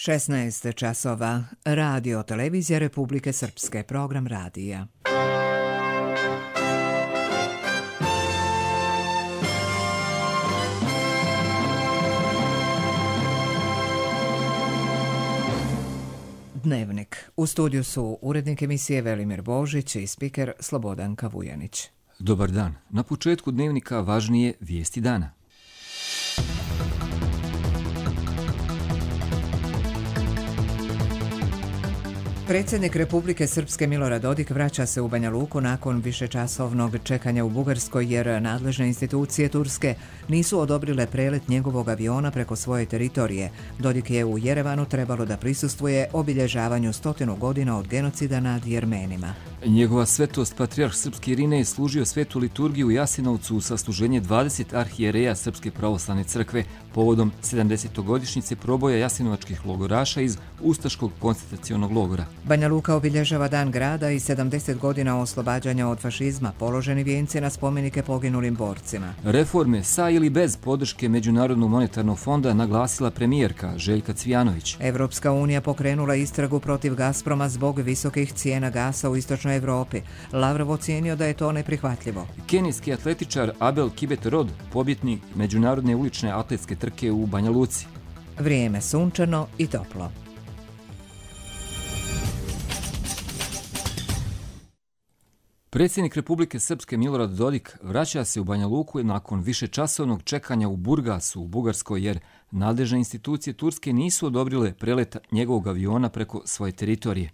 16 časova. Radio Televizija Republike Srpske. Program radija. Dnevnik. U studiju su urednik emisije Velimir Božić i spiker Slobodanka Vujanić. Dobar dan. Na početku dnevnika važnije vijesti dana. Predsjednik Republike Srpske Milorad Dodik vraća se u Banja Luku nakon višečasovnog čekanja u Bugarskoj jer nadležne institucije Turske nisu odobrile prelet njegovog aviona preko svoje teritorije. Dodik je u Jerevanu trebalo da prisustvuje obilježavanju 100 godina od genocida nad Jermenima. Njegova svetost patrijarh Srpski Irinej služio svetu liturgiju u Jasenovcu u sasluženje 20 arhijereja Srpske pravoslavne crkve povodom 70-godišnjice proboja jasenovačkih logoraša iz Ustaškog koncentracionog logora. Banja Luka obilježava Dan grada i 70 godina oslobađanja od fašizma, položeni vijenci na spomenike poginulim borcima. Reforme sa ili bez podrške Međunarodnog monetarnog fonda naglasila premijerka Željka Cvijanović. Evropska unija pokrenula istragu protiv Gazproma zbog visokih cijena gasa u istočnoj Evropi. Lavrov ocijenio da je to neprihvatljivo. Kenijski atletičar Abel Kibet-Rod, pobjednik međunarodne ulične atletske trke u Banja Luci. Vrijeme sunčano i toplo. Predsjednik Republike Srpske Milorad Dodik vraća se u Banja Luku nakon višečasovnog čekanja u Burgasu u Bugarskoj jer nadležne institucije Turske nisu odobrile prelet njegovog aviona preko svoje teritorije.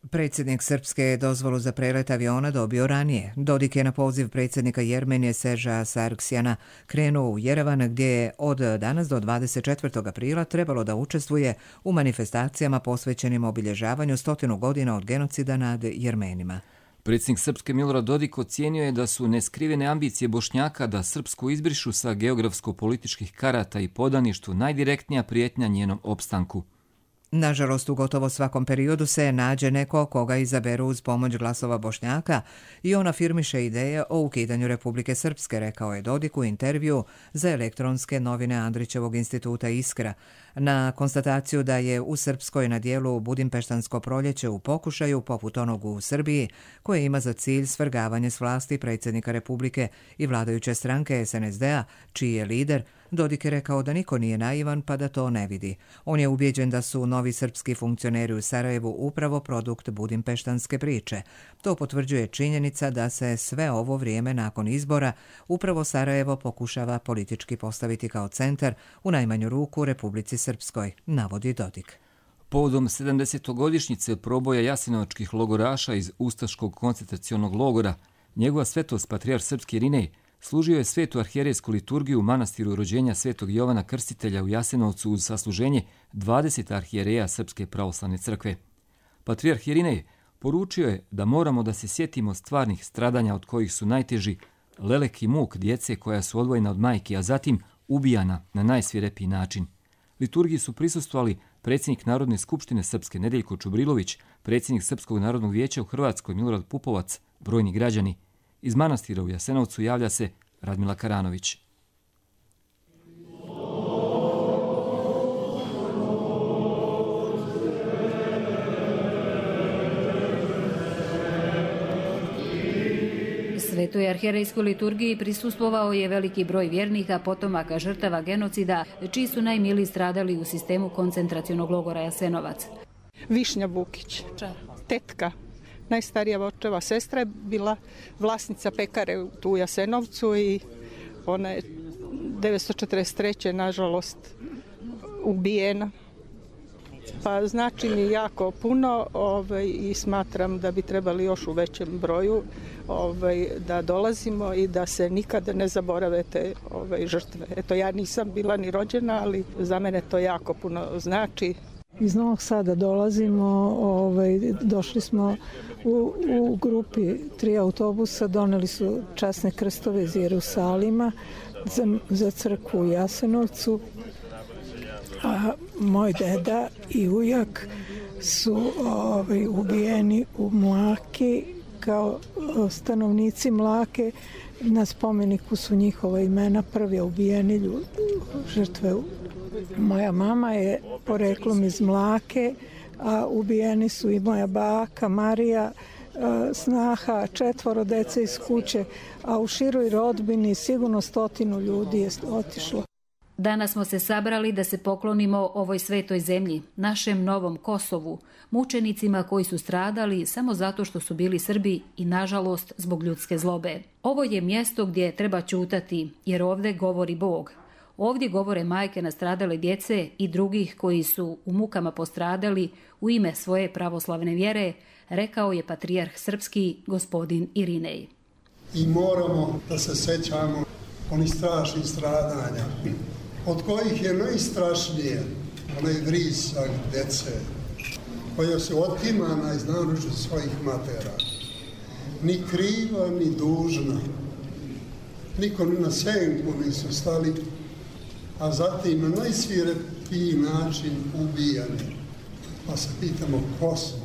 Predsjednik Srpske je dozvolu za prelet aviona dobio ranije. Dodik je na poziv predsjednika Jermenije Serža Sargsjana krenuo u Jerevan gdje je od danas do 24. aprila trebalo da učestvuje u manifestacijama posvećenim obilježavanju 100 godina od genocida nad Jermenima. Predsjednik Srpske Milorad Dodik ocijenio je da su neskrivene ambicije Bošnjaka da Srpsku izbrišu sa geografsko-političkih karata i podaništvu najdirektnija prijetnja njenom opstanku. Nažalost, u gotovo svakom periodu se nađe neko koga izaberu uz pomoć glasova Bošnjaka i on afirmiše ideje o ukidanju Republike Srpske, rekao je Dodik u intervju za elektronske novine Andrićevog instituta Iskra. Na konstataciju da je u Srpskoj na dijelu Budimpeštansko proljeće u pokušaju, poput onog u Srbiji, koje ima za cilj svrgavanje s vlasti predsjednika Republike i vladajuće stranke SNSD-a, čiji je lider, Dodik je rekao da niko nije naivan pa da to ne vidi. On je ubijeđen da su novi srpski funkcioneri u Sarajevu upravo produkt budimpeštanske priče. To potvrđuje činjenica da se sve ovo vrijeme nakon izbora upravo Sarajevo pokušava politički postaviti kao centar, u najmanju ruku Republici Srpskoj, navodi Dodik. Povodom 70-godišnjice proboja jasenovačkih logoraša iz Ustaškog koncentracionog logora, njegova svetost patrijarh Srpski Irinej služio je svetu arhijerejsku liturgiju u manastiru rođenja svetog Jovana Krstitelja u Jasenovcu uz sasluženje 20 arhijereja Srpske pravoslavne crkve. Patrijarh Irinej poručio je da moramo da se sjetimo stvarnih stradanja od kojih su najteži lelek i muk djece koja su odvojena od majke, a zatim ubijana na najsvirepiji način. Liturgiji su prisustvovali predsjednik Narodne skupštine Srpske Nedeljko Čubrilović, predsjednik Srpskog narodnog vijeća u Hrvatskoj Milorad Pupovac, brojni građani. Iz manastira u Jasenovcu javlja se Radmila Karanović. Svetoj arhijerejskoj liturgiji prisustvovao je veliki broj vjernika, potomaka žrtava genocida, čiji su najmiliji stradali u sistemu koncentracionog logora Jasenovac. Višnja Bukić, tetka, najstarija očeva sestra, je bila vlasnica pekare tu u Jasenovcu i ona je 1943. nažalost ubijena. Pa znači mi jako puno i smatram da bi trebali još u većem broju da dolazimo i da se nikada ne zaborave te žrtve. Eto, ja nisam bila ni rođena, ali za mene to jako puno znači. Iz Novog Sada dolazimo, došli smo u grupi 3 autobusa, doneli su časne krstove iz Jerusalima za crkvu u Jasenovcu. A moj deda i ujak su ubijeni u Mlaki kao stanovnici Mlake Na spomeniku su njihova imena, prvi ubijeni ljudi, žrtve. Moja mama je poreklom iz Mlake, a ubijeni su i moja baka Marija, snaha, 4 dece iz kuće, a u široj rodbini sigurno 100 ljudi je otišlo. Danas smo se sabrali da se poklonimo ovoj svetoj zemlji, našem novom Kosovu, mučenicima koji su stradali samo zato što su bili Srbi i nažalost zbog ljudske zlobe. Ovo je mjesto gdje treba ćutati, jer ovdje govori Bog. Ovdje govore majke nastradale djece i drugih koji su u mukama postradali u ime svoje pravoslavne vjere, rekao je patrijarh srpski gospodin Irinej. I moramo da se sećamo onih strašnih stradanja, od kojih je najstrašnije onaj vrisak dece, koja su otimana iz naručja svojih matera. Ni kriva, ni dužna. Niko ni na senku nisu stali, a zatim na najsvirepiji način ubijani. Pa se pitamo ko su?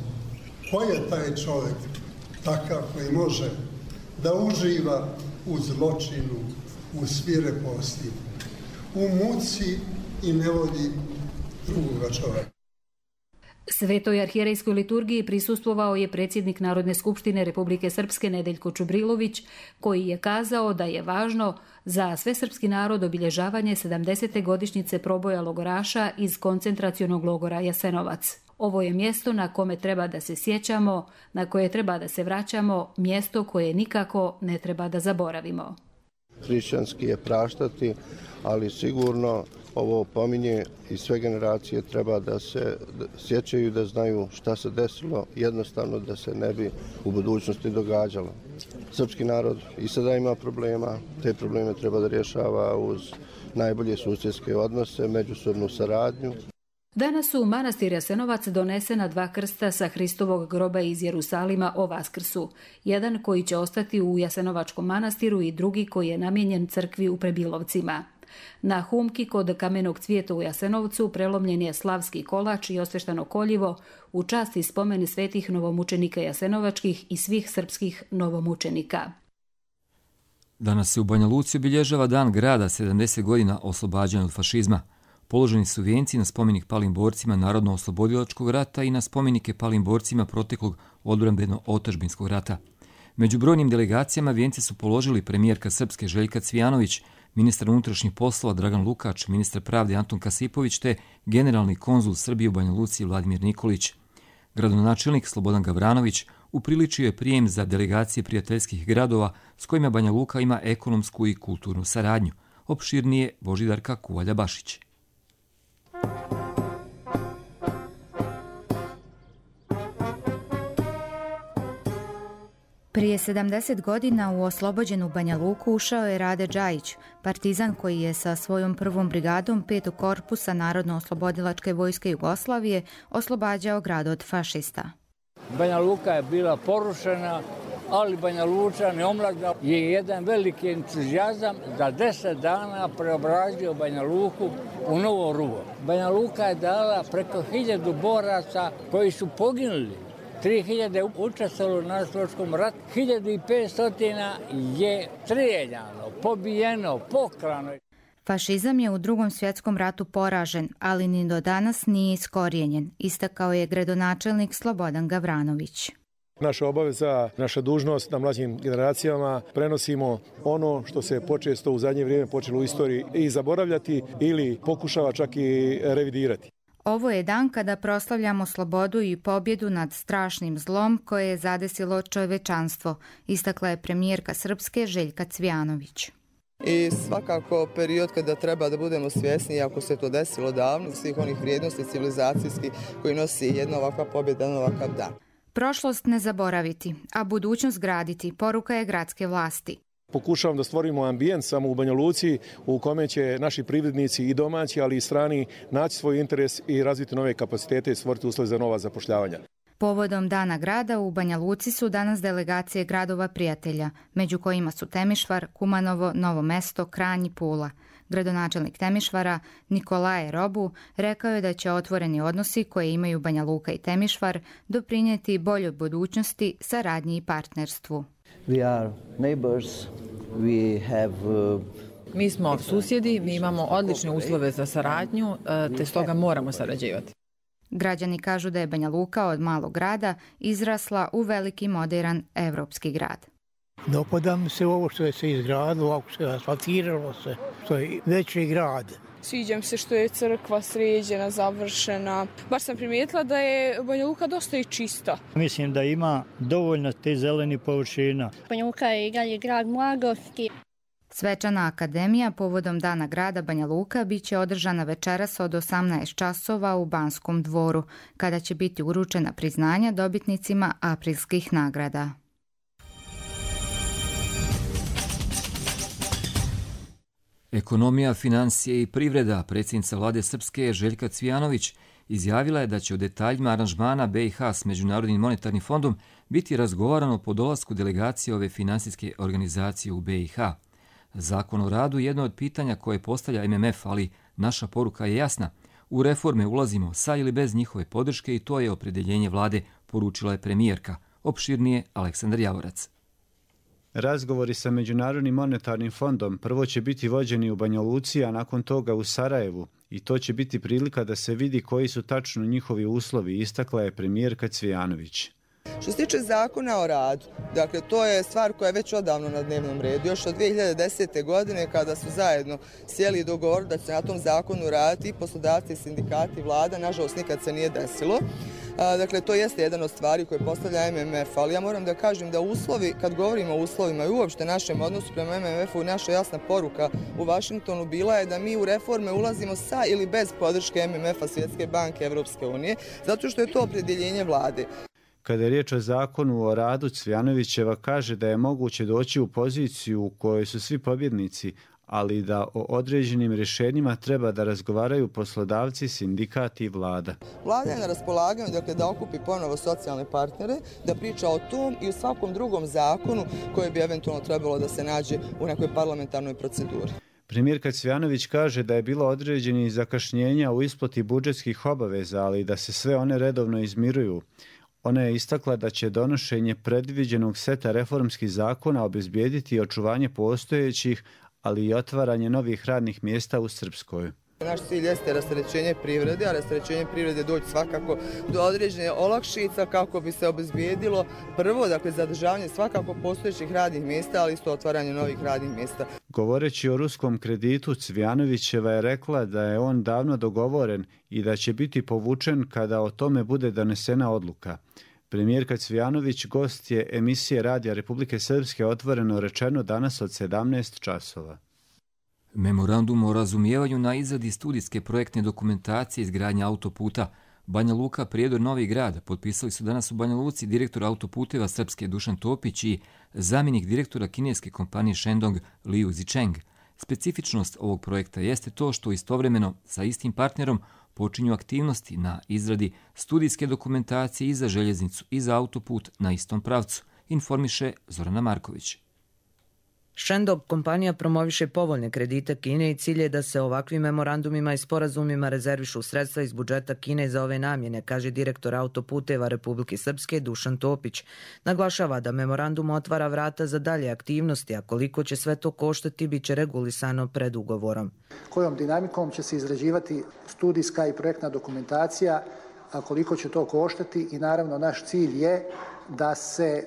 Ko je taj čovjek takav koji može da uživa u zločinu, u svireposti, u muci i ne vodi drugoga čovjeka? Svetoj arhijerejskoj liturgiji prisustvovao je predsjednik Narodne skupštine Republike Srpske Nedeljko Čubrilović, koji je kazao da je važno za svesrpski narod obilježavanje 70. godišnjice proboja logoraša iz koncentracionog logora Jasenovac. Ovo je mjesto na kome treba da se sjećamo, na koje treba da se vraćamo, mjesto koje nikako ne treba da zaboravimo. Hrišćanski je praštati, ali sigurno ovo pominje i sve generacije treba da se sjećaju, da znaju šta se desilo, jednostavno da se ne bi u budućnosti događalo. Srpski narod i sada ima problema, te probleme treba da rješava uz najbolje susjedske odnose, međusobnu saradnju. Danas su u manastir Jasenovac donesena 2 krsta sa Hristovog groba iz Jerusalima o Vaskrsu. Jedan koji će ostati u Jasenovačkom manastiru i drugi koji je namijenjen crkvi u Prebilovcima. Na humki kod kamenog cvijeta u Jasenovcu prelomljen je slavski kolač i osveštano koljivo u čast i spomen svetih novomučenika jasenovačkih i svih srpskih novomučenika. Danas se u Banja Luci obilježava dan grada 70 godina oslobađanja od fašizma. Položeni su vijenci na spomenik palim borcima Narodno-oslobodilačkog rata i na spomenike palim borcima proteklog odbrambeno-otadžbinskog rata. Među brojnim delegacijama vijence su položili premijerka Srpske Željka Cvijanović, ministar unutrašnjih poslova Dragan Lukač, ministar pravde Antun Kasipović te generalni konzul Srbije u Banja Luci Vladimir Nikolić. Gradonačelnik Slobodan Gavranović upriličio je prijem za delegacije prijateljskih gradova s kojima Banja Luka ima ekonomsku i kulturnu saradnju. Opširnije Božidarka Kuvalja-Bašić. Prije 70 godina u oslobođenu Banja Luku ušao je Rade Džajić, partizan koji je sa svojom prvom brigadom 5. korpusa Narodno-oslobodilačke vojske Jugoslavije oslobađao grad od fašista. Banja Luka je bila porušena, ali Banja Lučani omladina je jedan veliki entuzijazam za 10 dana preobrazio Banja Luku u novo ruvo. Banja Luka je dala preko 1000 boraca koji su poginuli. 3000 učestvovalo na Slovačkom ratu, 1500 je strijeljano, pobijeno, pokrano. Fašizam je u Drugom svjetskom ratu poražen, ali ni do danas nije iskorijenjen, istakao je gradonačelnik Slobodan Gavranović. Naša obaveza, naša dužnost na mlađim generacijama prenosimo ono što se počesto u zadnje vrijeme počelo u istoriji i zaboravljati ili pokušava čak i revidirati. Ovo je dan kada proslavljamo slobodu i pobjedu nad strašnim zlom koje je zadesilo čovečanstvo, istakla je premijerka Srpske Željka Cvijanović. I svakako period kada treba da budemo svjesni, ako se to desilo davno, svih onih vrijednosti civilizacijskih koji nosi jedna ovakva pobjeda na ovakav dan. Prošlost ne zaboraviti, a budućnost graditi, poruka je gradske vlasti. Pokušavam da stvorimo ambijent samo u Banja Luci u kome će naši privrednici i domaći, ali i strani naći svoj interes i razviti nove kapacitete i stvoriti uslove za nova zapošljavanja. Povodom Dana grada u Banja Luci su danas delegacije gradova prijatelja, među kojima su Temišvar, Kumanovo, Novo Mesto, Kranj i Pula. Gradonačelnik Temišvara Nikolaje Robu rekao je da će otvoreni odnosi koje imaju Banja Luka i Temišvar doprinijeti boljoj budućnosti, saradnji i partnerstvu. We are neighbors. We have Mi smo susjedi, mi imamo odlične uslove za saradnju, te stoga moramo sarađivati. Građani kažu da je Banja Luka od malog grada izrasla u veliki moderan evropski grad. Dopada mi se ovo što je se izgradilo, ovako se asfaltiralo se, što je veći grad. Sviđa mi se što je crkva sređena, završena. Baš sam primijetila da je Banja Luka dosta i čista. Mislim da ima dovoljno te zeleni površina. Banja Luka je i dalje grad mladosti. Svečana akademija povodom Dana grada Banja Luka biće održana večeras od 18 časova u Banskom dvoru, kada će biti uručena priznanja dobitnicima aprilskih nagrada. Ekonomija, financije i privreda, predsjednica vlade Srpske Željka Cvijanović izjavila je da će o detaljima aranžmana BiH s Međunarodnim monetarnim fondom biti razgovarano po dolasku delegacije ove finansijske organizacije u BiH. Zakon o radu je jedno od pitanja koje postavlja MMF, ali naša poruka je jasna. U reforme ulazimo sa ili bez njihove podrške i to je opredjeljenje vlade, poručila je premijerka. Opširnije Aleksandar Javorac. Razgovori sa Međunarodnim monetarnim fondom prvo će biti vođeni u Banja Luci, a nakon toga u Sarajevu. I to će biti prilika da se vidi koji su tačno njihovi uslovi, istakla je premijerka Cvijanović. Što se tiče zakona o radu, dakle to je stvar koja je već odavno na dnevnom redu. Još od 2010. godine kada su zajedno sjeli i dogovorili da će na tom zakonu raditi i poslodavci, sindikati i vlada, nažalost nikad se nije desilo. Dakle, to jeste jedan od stvari koje postavlja MMF, ali ja moram da kažem da uslovi, kad govorimo o uslovima i uopšte našem odnosu prema MMF-u, naša jasna poruka u Vašingtonu bila je da mi u reforme ulazimo sa ili bez podrške MMF-a, Svjetske banke, Evropske unije, zato što je to opredjeljenje vlade. Kada je riječ o zakonu o radu, Cvijanovićeva kaže da je moguće doći u poziciju u kojoj su svi pobjednici, ali da o određenim rješenjima treba da razgovaraju poslodavci, sindikati i vlada. Vlada je na raspolaganju, dakle, da okupi ponovo socijalne partnere, da priča o tom i u svakom drugom zakonu koji bi eventualno trebalo da se nađe u nekoj parlamentarnoj proceduri. Premijerka Cvijanović kaže da je bilo određenih zakašnjenja u isplati budžetskih obaveza, ali da se sve one redovno izmiruju. Ona je istakla da će donošenje predviđenog seta reformskih zakona obezbijediti očuvanje postojećih, ali i otvaranje novih radnih mjesta u Srpskoj. Naš cilj jeste rasterećenje privrede, a rasterećenje privrede doći svakako do određene olakšica kako bi se obezbijedilo prvo, dakle, zadržavanje svakako postojećih radnih mjesta, ali isto otvaranje novih radnih mjesta. Govoreći o ruskom kreditu, Cvijanovićeva je rekla da je on davno dogovoren i da će biti povučen kada o tome bude donesena odluka. Premijerka Cvijanović gost je emisije Radija Republike Srpske Otvoreno rečeno danas od 17 časova. Memorandum o razumijevanju na izradi studijske projektne dokumentacije izgradnje autoputa Banja Luka, Prijedor, Novi Grad potpisali su danas u Banja Luci direktor autoputeva Srpske Dušan Topić i zamjenik direktora kineske kompanije Shandong Liu Zicheng. Specifičnost ovog projekta jeste to što istovremeno sa istim partnerom počinju aktivnosti na izradi studijske dokumentacije i za željeznicu i za autoput na istom pravcu, informiše Zorana Marković. Shandong kompanija promoviše povoljne kredite Kine i cilj je da se ovakvim memorandumima i sporazumima rezervišu sredstva iz budžeta Kine za ove namjene, kaže direktor autoputeva Republike Srpske Dušan Topić. Naglašava da memorandum otvara vrata za dalje aktivnosti, a koliko će sve to koštati bit će regulisano pred ugovorom. Kojom dinamikom će se izrađivati studijska i projektna dokumentacija, a koliko će to koštati i naravno naš cilj je da se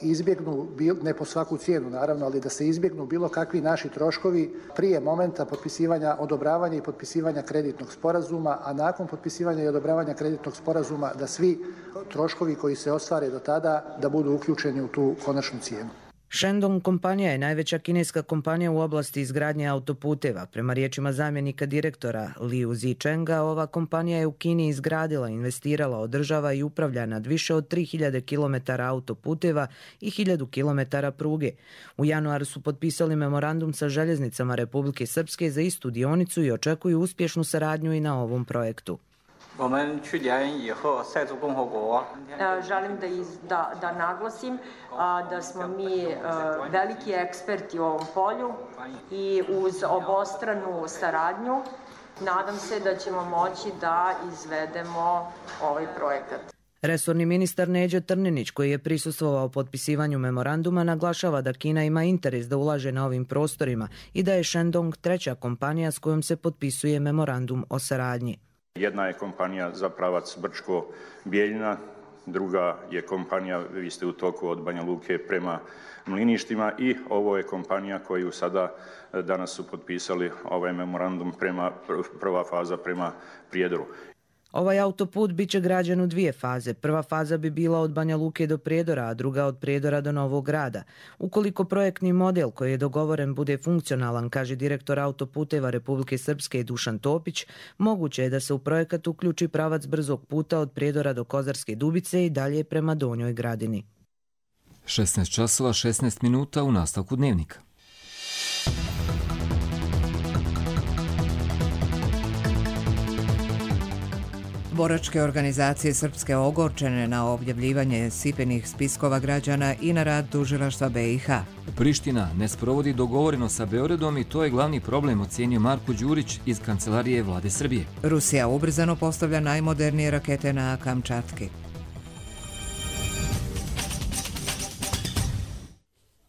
izbjegnu, ne po svaku cijenu naravno, ali da se izbjegnu bilo kakvi naši troškovi prije momenta potpisivanja, odobravanja i potpisivanja kreditnog sporazuma, a nakon potpisivanja i odobravanja kreditnog sporazuma da svi troškovi koji se ostvare do tada da budu uključeni u tu konačnu cijenu. Shandong kompanija je najveća kineska kompanija u oblasti izgradnje autoputeva. Prema riječima zamjenika direktora Liu Zichenga, ova kompanija je u Kini izgradila, investirala, održava i upravlja nad više od 3000 km autoputeva i 1000 km pruge. U januaru su potpisali memorandum sa željeznicama Republike Srpske za istu dionicu i očekuju uspješnu saradnju i na ovom projektu. Želim da naglasim da smo mi veliki eksperti u ovom polju i uz obostranu saradnju nadam se da ćemo moći da izvedemo ovaj projekat. Resorni ministar Neđo Trninić, koji je prisustvovao potpisivanju memoranduma, naglašava da Kina ima interes da ulaže na ovim prostorima i da je Shandong treća kompanija s kojom se potpisuje memorandum o saradnji. Jedna je kompanija za pravac Brčko-Bijeljina, druga je kompanija, vi ste u toku od Banja Luke prema Mliništima, i ovo je kompanija koju sada danas su potpisali ovaj memorandum, prva faza prema Prijedoru. Ovaj autoput bit će građen u 2 faze. Prva faza bi bila od Banja Luke do Prijedora, a druga od Prijedora do Novog Grada. Ukoliko projektni model koji je dogovoren bude funkcionalan, kaže direktor autoputeva Republike Srpske Dušan Topić, moguće je da se u projekat uključi pravac brzog puta od Prijedora do Kozarske Dubice i dalje prema Donjoj Gradini. 16 časova 16 minuta u nastavku dnevnika. Boračke organizacije srpske ogorčene na objavljivanje sipenih spiskova građana i na rad tužilaštva BiH. Priština ne sprovodi dogovoreno sa Beogradom i to je glavni problem, ocenio Marko Đurić iz kancelarije Vlade Srbije. Rusija ubrzano postavlja najmodernije rakete na Kamčatki.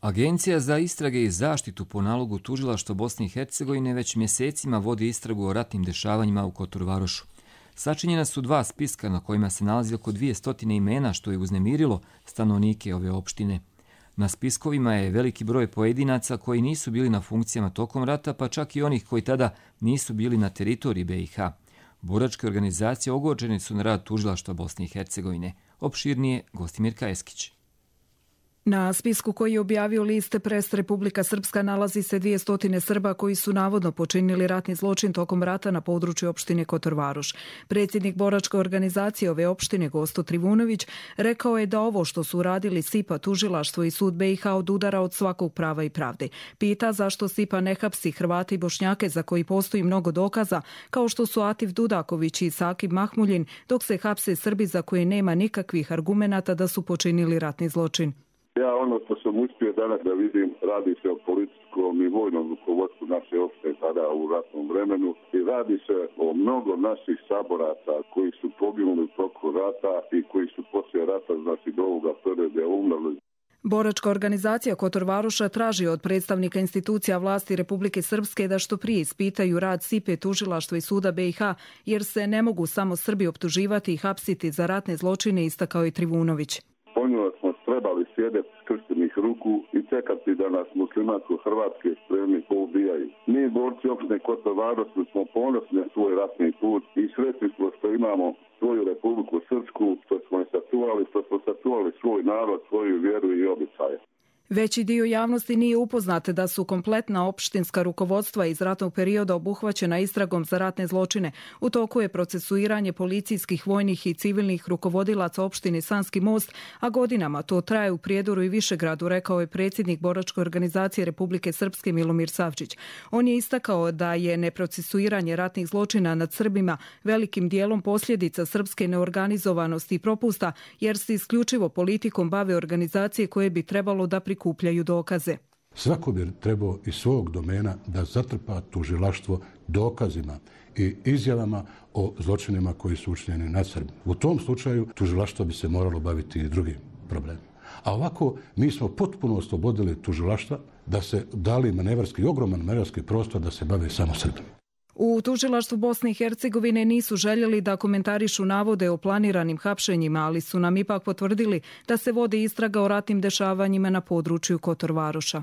Agencija za istrage i zaštitu po nalogu tužilaštva Bosne i Hercegovine već mjesecima vodi istragu o ratnim dešavanjima u Kotor-Varošu. Sačinjena su 2 spiska na kojima se nalazi oko 200 imena, što je uznemirilo stanovnike ove opštine. Na spiskovima je veliki broj pojedinaca koji nisu bili na funkcijama tokom rata, pa čak i onih koji tada nisu bili na teritoriji BiH. Boračke organizacije ogorčene su na rad tužilaštva Bosne i Hercegovine. Opširnije Gostimirka Eskić. Na spisku koji je objavio list Press Republika Srpska nalazi se 200 Srba koji su navodno počinili ratni zločin tokom rata na području opštine Kotor-Varoš. Predsjednik boračke organizacije ove opštine Gosto Trivunović rekao je da ovo što su uradili SIPA, tužilaštvo i sud BiH odudara od svakog prava i pravde. Pita zašto SIPA ne hapsi Hrvate i Bošnjake za koji postoji mnogo dokaza, kao što su Atif Dudaković i Sakib Mahmuljin, dok se hapse Srbi za koje nema nikakvih argumenata da su počinili ratni zločin. Ja ono što sam uspio danas da vidim, radi se o policijskom i vojnom rukovodstvu naše opštine tada u ratnom vremenu i radi se o mnogo naših saboraca koji su poginuli u toku rata i koji su poslije rata, znači do ovoga perioda umrli. Boračka organizacija Kotor-Varoša traži od predstavnika institucija vlasti Republike Srpske da što prije ispitaju rad SIPE, tužilaštva i suda BiH, jer se ne mogu samo Srbi optuživati i hapsiti za ratne zločine, istakao je Trivunović. Ponijeli smo trebali sjedeti skrštenih ruku i čekati da nas muslimansko-hrvatske spremni poubijaju. Mi, borci opštine Kotor-Varoš, smo ponosni na svoj ratni put i sretni smo što imamo svoju Republiku Srpsku, što smo sačuvali svoj narod, svoju vjeru i običaje. Veći dio javnosti nije upoznat da su kompletna opštinska rukovodstva iz ratnog perioda obuhvaćena istragom za ratne zločine. U toku je procesuiranje policijskih, vojnih i civilnih rukovodilaca opštine Sanski Most, a godinama to traje u Prijedoru i Višegradu, rekao je predsjednik Boračke organizacije Republike Srpske Milomir Savčić. On je istakao da je neprocesuiranje ratnih zločina nad Srbima velikim dijelom posljedica srpske neorganizovanosti i propusta, jer se isključivo politikom bave organizacije koje bi trebalo da prikupljaju dokaze. Svako bi trebao iz svog domena da zatrpa tužilaštvo dokazima i izjavama o zločinima koji su učinjeni nad Srbima. U tom slučaju tužilaštvo bi se moralo baviti i drugim problemima. A ovako mi smo potpuno oslobodili tužilaštva da se dali ogroman manevarski prostor da se bave samo Srbima. U tužilaštvu Bosne i Hercegovine nisu željeli da komentarišu navode o planiranim hapšenjima, ali su nam ipak potvrdili da se vodi istraga o ratnim dešavanjima na području Kotor-Varoša.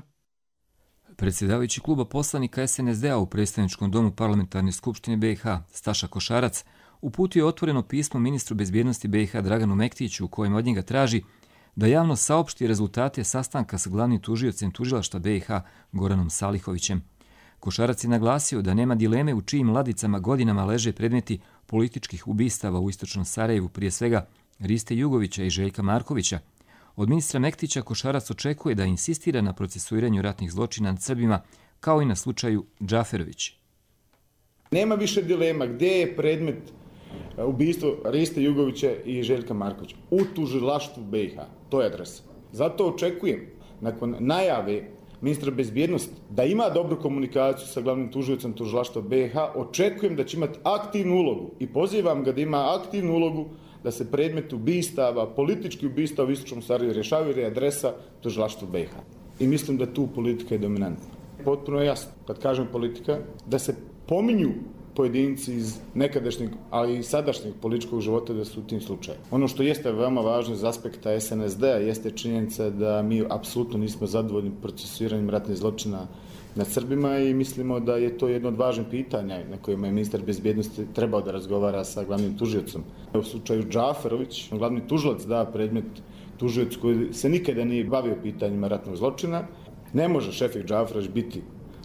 Predsjedavajući kluba poslanika SNSD-a u predstavničkom domu Parlamentarne skupštine BiH, Staša Košarac, uputio je otvoreno pismo ministru bezbjednosti BiH Draganu Mektiću, u kojem od njega traži da javno saopšti rezultate sastanka sa glavnim tužiocem tužilaštva BiH Goranom Salihovićem. Košarac je naglasio da nema dileme u čijim ladicama godinama leže predmeti političkih ubistava u istočnom Sarajevu, prije svega Riste Jugovića i Željka Markovića. Od ministra Mektića Košarac očekuje da insistira na procesuiranju ratnih zločina nad Srbima, kao i na slučaju Džaferović. Nema više dilema gdje je predmet ubistvo Riste Jugovića i Željka Markovića. U tužilaštvu BiH. To je adresa. Zato očekujem, nakon najave ministra bezbjednosti, da ima dobru komunikaciju sa glavnim tužiocem tužilaštva BiH, očekujem da će imati aktivnu ulogu i pozivam ga da ima aktivnu ulogu da se predmet ubistava, politički ubistava u Istočnom Sarajevu rješavaju jer je adresa tužilaštva BiH. I mislim da tu politika je dominantna. Potpuno je jasno, kad kažem politika, da se pominju pojedinci iz nekadašnjeg, ali i sadašnjeg političkog života da su u tim slučajima. Ono što jeste veoma važno iz aspekta SNSD-a jeste činjenica da mi apsolutno nismo zadovoljni procesuiranjem ratnih zločina nad Srbima i mislimo da je to jedno od važnih pitanja na kojima je ministar bezbjednosti trebao da razgovara sa glavnim tužiocom. U slučaju Džaferović, glavni tužilac da predmet tužioc koji se nikada nije bavio pitanjima ratnog zločina. Ne može Šefik Džaferović biti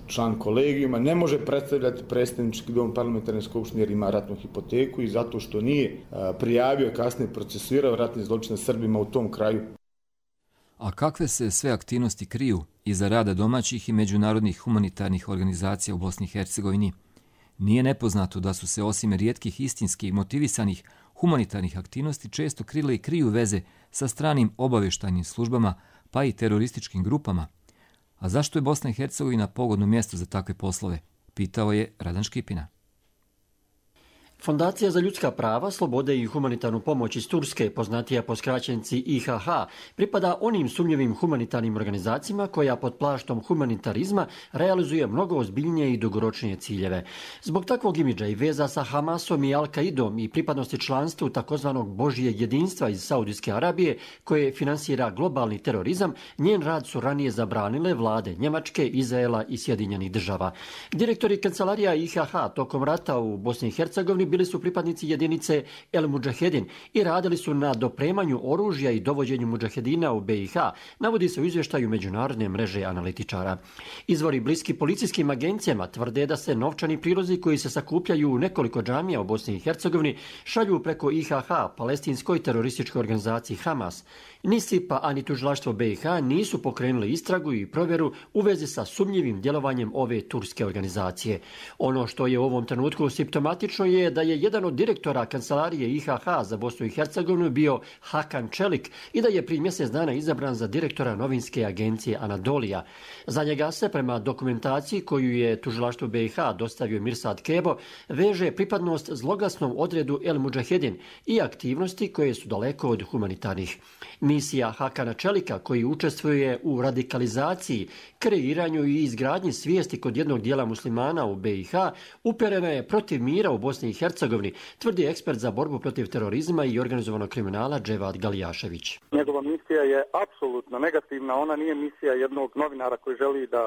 član kolegijuma, ne može predstavljati predstavnički dom parlamentarne skupštine jer ima ratnu hipoteku i zato što nije prijavio i kasnije procesuirao ratni zločin Srbima u tom kraju. A kakve se sve aktivnosti kriju iza rada domaćih i međunarodnih humanitarnih organizacija u Bosni i Hercegovini? Nije nepoznato da su se osim rijetkih istinskih motivisanih humanitarnih aktivnosti često krile i kriju veze sa stranim obavještajnim službama pa i terorističkim grupama. A zašto je Bosna i Hercegovina pogodno mjesto za takve poslove? Pitao je Radan Škipina. Fondacija za ljudska prava, slobode i humanitarnu pomoć iz Turske, poznatija po skraćenici IHH, pripada onim sumnjivim humanitarnim organizacijama koja pod plaštom humanitarizma realizuje mnogo ozbiljnije i dugoročnije ciljeve. Zbog takvog imidža i veza sa Hamasom i Al-Qaidom i pripadnosti članstvu takozvanog Božijeg jedinstva iz Saudijske Arabije, koje finansira globalni terorizam, njen rad su ranije zabranile vlade Njemačke, Izraela i Sjedinjenih država. Direktori kancelarija IHH tokom rata u Bosni i Hercegovini bili su pripadnici jedinice El Mudžahedin i radili su na dopremanju oružja i dovođenju mudžahedina u BiH, navodi se u izvještaju Međunarodne mreže analitičara. Izvori bliski policijskim agencijama tvrde da se novčani prilozi koji se sakupljaju u nekoliko džamija u Bosni i Hercegovini šalju preko IHH, palestinskoj terorističkoj organizaciji Hamas. Ni SIPA, ani tužilaštvo BiH nisu pokrenuli istragu i provjeru u vezi sa sumnjivim djelovanjem ove turske organizacije. Ono što je u ovom trenutku simptomatično je da je jedan od direktora kancelarije IHH za Bosnu i Hercegovinu bio Hakan Čelik i da je prije mjesec dana izabran za direktora novinske agencije Anadolija. Za njega se, prema dokumentaciji koju je tužilaštvo BiH dostavio Mirsad Kebo, veže pripadnost zloglasnom odredu El Mudžahedin i aktivnosti koje su daleko od humanitarnih. Misija Hakana Čelika, koji učestvuje u radikalizaciji, kreiranju i izgradnji svijesti kod jednog dijela muslimana u BiH, uperena je protiv mira u Bosni i Hercegovini, tvrdi ekspert za borbu protiv terorizma i organizovanog kriminala Dževad Galijašević. Njegova misija je apsolutno negativna, ona nije misija jednog novinara koji želi da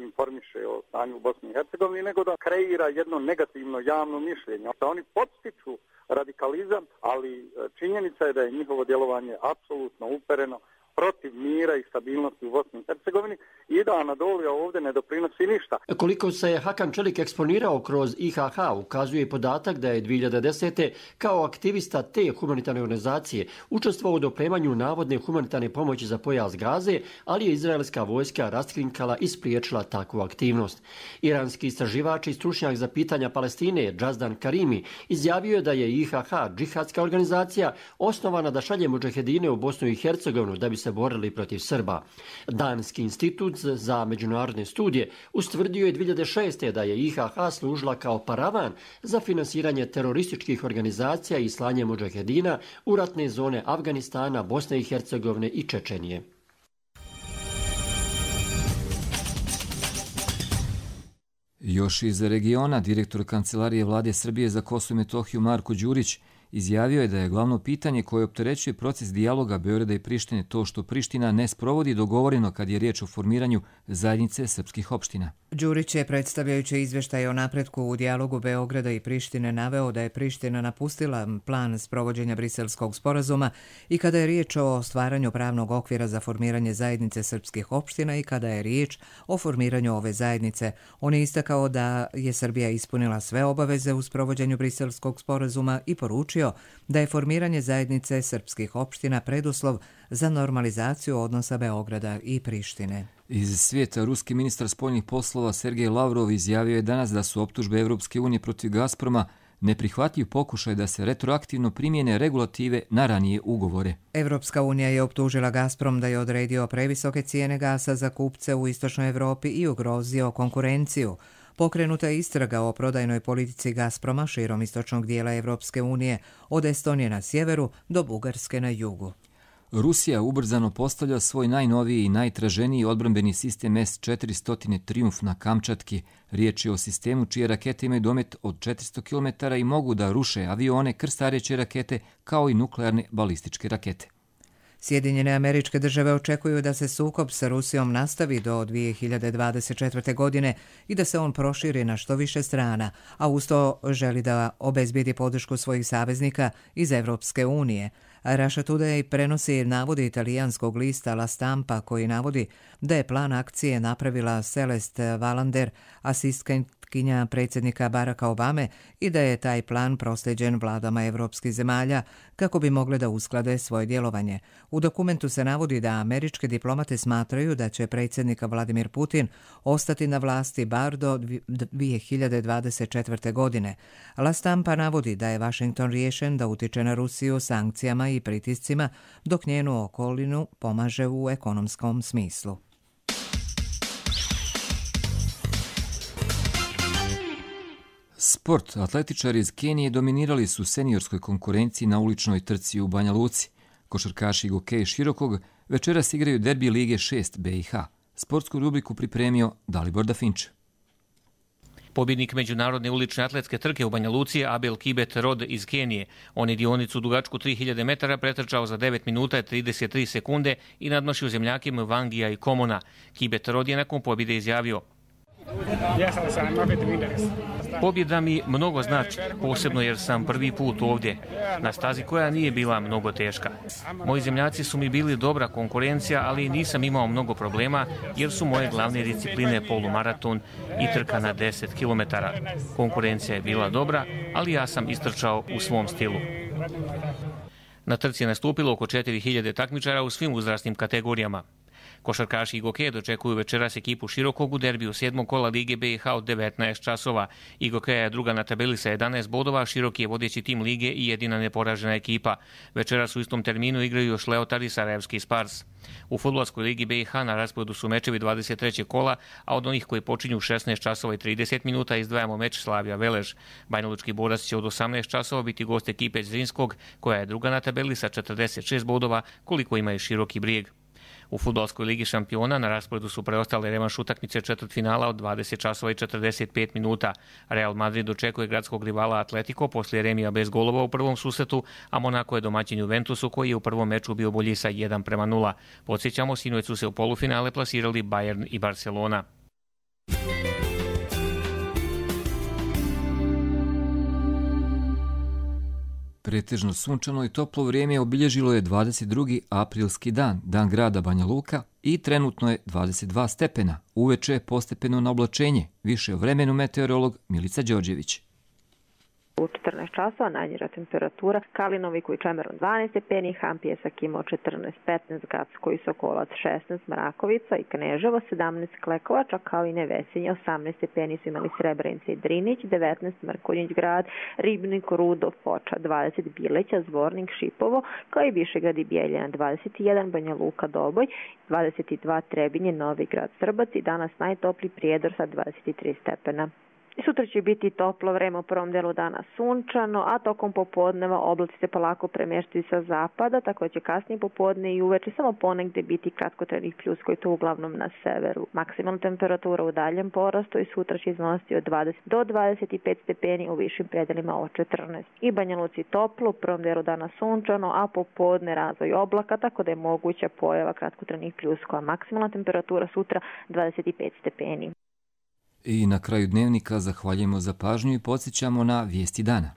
informiše o stanju u Bosni i Hercegovini, nego da kreira jedno negativno javno mišljenje. Da oni podstiču radikalizam, ali činjenica je da je njihovo djelovanje apsolutno upereno protiv mira i stabilnosti u Bosni i Hercegovini i da Anadolija ovdje ne doprinosi ništa. Koliko se Hakan Čelik eksponirao kroz IHH, ukazuje podatak da je 2010. kao aktivista te humanitarne organizacije učestvovao u dopremanju navodne humanitarne pomoći za pojas Gaze, ali je izraelska vojska raskrinkala i spriječila takvu aktivnost. Iranski istraživač i stručnjak za pitanja Palestine, Džazdan Karimi, izjavio je da je IHH džihadska organizacija osnovana da šalje mudžahedine u Bosnu i Hercegovinu da bi se borili protiv Srba. Danski institut za međunarodne studije ustvrdio je 2006. da je IHH služila kao paravan za finansiranje terorističkih organizacija i slanje mudžahedina u ratne zone Afganistana, Bosne i Hercegovine i Čečenije. Još iz regiona, direktor Kancelarije Vlade Srbije za Kosovo i Metohiju Marko Đurić izjavio je da je glavno pitanje koje opterećuje proces dijaloga Beograda i Prištine to što Priština ne sprovodi dogovoreno kad je riječ o formiranju zajednice srpskih opština. Đurić je, predstavljajući izvještaj o napretku u dijalogu Beograda i Prištine, naveo da je Priština napustila plan sprovođenja Briselskog sporazuma i kada je riječ o stvaranju pravnog okvira za formiranje zajednice srpskih opština i kada je riječ o formiranju ove zajednice. On je istakao da je Srbija ispunila sve obaveze u sprovođenju Briselskog sporazuma i poručio da je formiranje zajednice srpskih opština preduslov za normalizaciju odnosa Beograda i Prištine. Iz svijeta ruski ministar spoljnih poslova Sergej Lavrov izjavio je danas da su optužbe Evropske unije protiv Gazproma neprihvatljiv pokušaj da se retroaktivno primjene regulative na ranije ugovore. Evropska unija je optužila Gazprom da je odredio previsoke cijene gasa za kupce u istočnoj Evropi i ugrozio konkurenciju. Pokrenuta je istraga o prodajnoj politici Gazproma širom istočnog dijela Evropske unije, od Estonije na sjeveru do Bugarske na jugu. Rusija ubrzano postavlja svoj najnoviji i najtraženiji odbrambeni sistem S-400 Triumf na Kamčatki. Riječ je o sistemu čije rakete imaju domet od 400 km i mogu da ruše avione, krstareće rakete kao i nuklearne balističke rakete. Sjedinjene Američke Države očekuju da se sukob sa Rusijom nastavi do 2024. godine i da se on proširi na što više strana, a uz to želi da obezbijedi podršku svojih saveznika iz Evropske unije. Russia Today prenosi navode italijanskog lista La Stampa koji navodi da je plan akcije napravila Celeste Wallander, asistentkinja predsjednika Baracka Obame, i da je taj plan proslijeđen vladama evropskih zemalja kako bi mogle da usklade svoje djelovanje. U dokumentu se navodi da američke diplomate smatraju da će predsjednik Vladimir Putin ostati na vlasti bar do 2024. godine. La Stampa navodi da je Washington riješen da utiče na Rusiju sankcijama i pritiscima, dok njenu okolinu pomaže u ekonomskom smislu. Sport. Atletičari iz Kenije dominirali su seniorskoj konkurenciji na uličnoj trci u Banja Luci. Košarkaši Gokej Širokog večeras igraju derbi Lige 6 BiH. Sportsku rubriku pripremio Dalibor Dafinč. Pobjednik međunarodne ulične atletske trke u Banja Luci je Abel Kibet Rod iz Kenije. On je dionicu dugačku 3000 metara pretrčao za 9 minuta i 33 sekunde i nadmašio zemljakima Vangija i Komona. Kibet Rod je nakon pobjede izjavio: pobjeda mi mnogo znači, posebno jer sam prvi put ovdje, na stazi koja nije bila mnogo teška. Moji zemljaci su mi bili dobra konkurencija, ali nisam imao mnogo problema jer su moje glavne discipline polumaraton i trka na 10 km. Konkurencija je bila dobra, ali ja sam istrčao u svom stilu. Na trci je nastupilo oko 4000 takmičara u svim uzrasnim kategorijama. Košarkaši Igoke dočekuju večeras ekipu Širokog u derbiju 7. kola Lige BiH od 19 časova. Igoke je druga na tabeli sa 11 bodova, Široki je vodeći tim lige i jedina neporažena ekipa. Večeras u istom terminu igraju još Leotar i Sarajevski Spars. U fudbalskoj Ligi BiH na rasporedu su mečevi 23. kola, a od onih koji počinju u 16 časova i 30 minuta izdvajamo meč Slavija Velež. Banjalučki Borac će od 18 časova biti gost ekipe Zrinskog, koja je druga na tabeli sa 46 bodova, koliko ima i Široki Brijeg. U fudbalskoj ligi šampiona na rasporedu su preostale revanš utakmice četvrtfinala od 20 časova i 45 minuta. Real Madrid dočekuje gradskog rivala Atletico poslije remija bez golova u prvom susretu, a Monako je domaćin Juventusu koji je u prvom meču bio bolji sa 1:0. Podsjećamo, sinoć su se u polufinale plasirali Bayern i Barcelona. Pretežno sunčano i toplo vrijeme obilježilo je 22. aprilski dan, dan grada Banja Luka, i trenutno je 22 stepena. Uveče je postepeno na oblačenje. Više o vremenu meteorolog Milica Đorđević. U 14 časova najniža temperatura Kalinoviku i Čemerom 12 stepeni, Hampjesak imao 14-15, Gacko i Sokolac 16, Mrakovica i Kneževo 17, Klekovača kao i Nevesinje 18 stepeni su imali Srebrenica i Drinić, 19 Mrkonjić grad, Ribnik, Rudov, Foča 20, Bileća, Zvornik, Šipovo kao i Višegrad i Bijeljina 21, Banja Luka, Doboj 22, Trebinje, Novi Grad, Srbac i danas najtopli Prijedor sa 23 stepena. Sutra će biti toplo vreme, u prvom delu dana sunčano, a tokom popodneva oblaci se polako premještaju sa zapada, tako da će kasnije popodne i uveče samo ponegdje biti kratkotrajnih pljuska i to uglavnom na severu. Maksimalna temperatura u daljem porastu i sutra će iznositi od 20 do 25 stepeni, u višim predelima od 14. I Banja Luci toplo, u prvom delu dana sunčano, a popodne razvoj oblaka, tako da je moguća pojava kratkotrajnih pljuska, a maksimalna temperatura sutra 25 stepeni. I na kraju dnevnika zahvaljujemo za pažnju i podsjećamo na vijesti dana.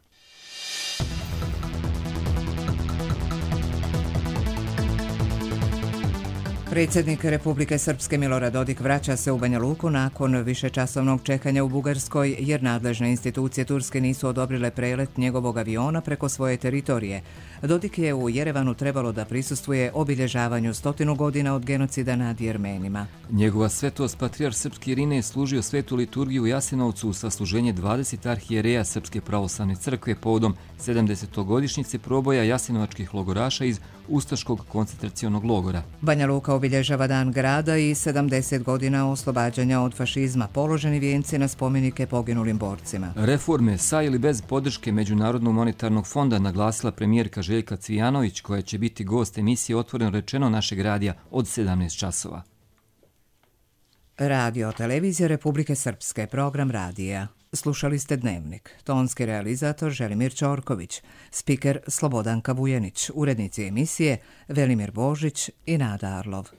Predsjednik Republike Srpske Milorad Dodik vraća se u Banja Luku nakon višečasovnog čekanja u Bugarskoj jer nadležne institucije Turske nisu odobrile prelet njegovog aviona preko svoje teritorije. Dodik je u Jerevanu trebalo da prisustvuje obilježavanju 100 godina od genocida nad Jermenima. Njegova svetost patrijarh srpski Irine je služio svetu liturgiju u Jasenovcu u sasluženje 20 arhijereja Srpske pravoslavne crkve povodom 70. godišnjice proboja jasenovačkih logoraša iz ustaškog koncentracionog logora. Banja Luka obilježava dan grada i 70 godina oslobađanja od fašizma, položeni vijenci na spomenike poginulim borcima. Reforme sa ili bez podrške Međunarodnog monetarnog fonda naglasila premijerka Željka Cvijanović, koja će biti gost emisije Otvoreno rečeno našeg radija od 17 časova. Radio televizija Republike Srpske, program radija. Slušali ste Dnevnik. Tonski realizator Želimir Ćorković, spiker Slobodanka Vujenić, urednici emisije Velimir Božić i Nada Arlov.